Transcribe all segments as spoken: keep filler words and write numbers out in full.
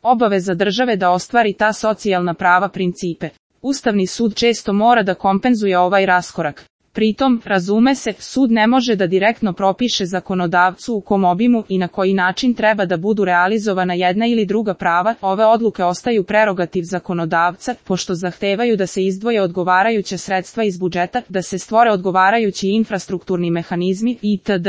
obaveza države da ostvari ta socijalna prava principe. Ustavni sud često mora da kompenzuje ovaj raskorak. Pritom, razume se, sud ne može da direktno propiše zakonodavcu u kom obimu i na koji način treba da budu realizovana jedna ili druga prava, ove odluke ostaju prerogativ zakonodavca, pošto zahtevaju da se izdvoje odgovarajuća sredstva iz budžeta, da se stvore odgovarajući infrastrukturni mehanizmi itd.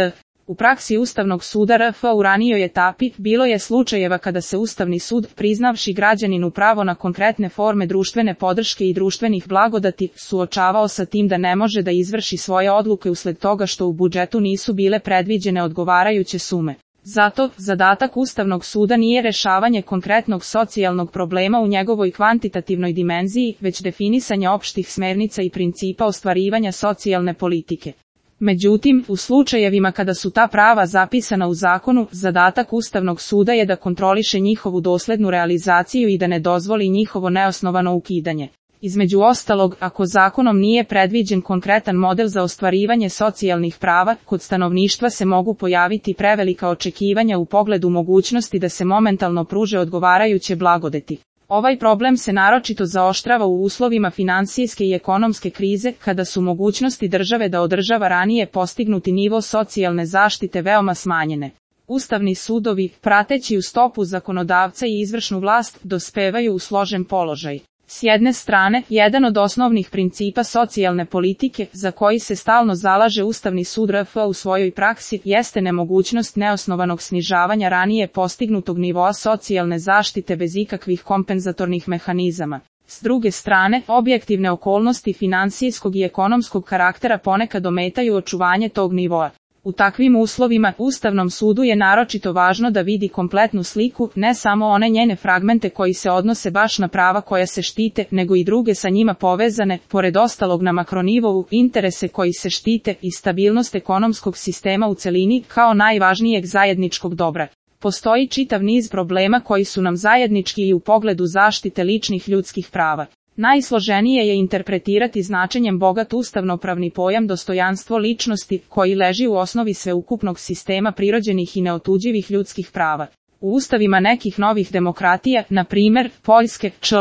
U praksi Ustavnog suda R F u ranijoj etapi bilo je slučajeva kada se Ustavni sud, priznavši građaninu pravo na konkretne forme društvene podrške i društvenih blagodati, suočavao sa tim da ne može da izvrši svoje odluke usled toga što u budžetu nisu bile predviđene odgovarajuće sume. Zato, zadatak Ustavnog suda nije rešavanje konkretnog socijalnog problema u njegovoj kvantitativnoj dimenziji, već definisanje opštih smernica i principa ostvarivanja socijalne politike. Međutim, u slučajevima kada su ta prava zapisana u zakonu, zadatak Ustavnog suda je da kontroliše njihovu doslednu realizaciju i da ne dozvoli njihovo neosnovano ukidanje. Između ostalog, ako zakonom nije predviđen konkretan model za ostvarivanje socijalnih prava, kod stanovništva se mogu pojaviti prevelika očekivanja u pogledu mogućnosti da se momentalno pruže odgovarajuće blagodeti. Ovaj problem se naročito zaoštrava u uslovima finansijske i ekonomske krize, kada su mogućnosti države da održava ranije postignuti nivo socijalne zaštite veoma smanjene. Ustavni sudovi, prateći u stopu zakonodavca i izvršnu vlast, dospevaju u složen položaj. S jedne strane, jedan od osnovnih principa socijalne politike, za koji se stalno zalaže Ustavni sud R F u svojoj praksi, jeste nemogućnost neosnovanog snižavanja ranije postignutog nivoa socijalne zaštite bez ikakvih kompenzatornih mehanizama. S druge strane, objektivne okolnosti finansijskog i ekonomskog karaktera ponekad ometaju očuvanje tog nivoa. U takvim uslovima, Ustavnom sudu je naročito važno da vidi kompletnu sliku, ne samo one njene fragmente koji se odnose baš na prava koja se štite, nego i druge sa njima povezane, pored ostalog na makronivou, interese koji se štite i stabilnost ekonomskog sistema u celini kao najvažnijeg zajedničkog dobra. Postoji čitav niz problema koji su nam zajednički i u pogledu zaštite ličnih ljudskih prava. Najsloženije je interpretirati značenjem bogat ustavnopravni pojam dostojanstvo ličnosti, koji leži u osnovi sveukupnog sistema prirođenih i neotuđivih ljudskih prava. U ustavima nekih novih demokratija, na primer, Poljske, čl.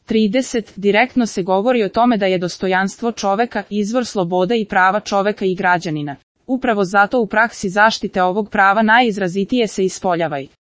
trideset, direktno se govori o tome da je dostojanstvo čoveka izvor sloboda i prava čoveka i građanina. Upravo zato u praksi zaštite ovog prava najizrazitije se ispoljava.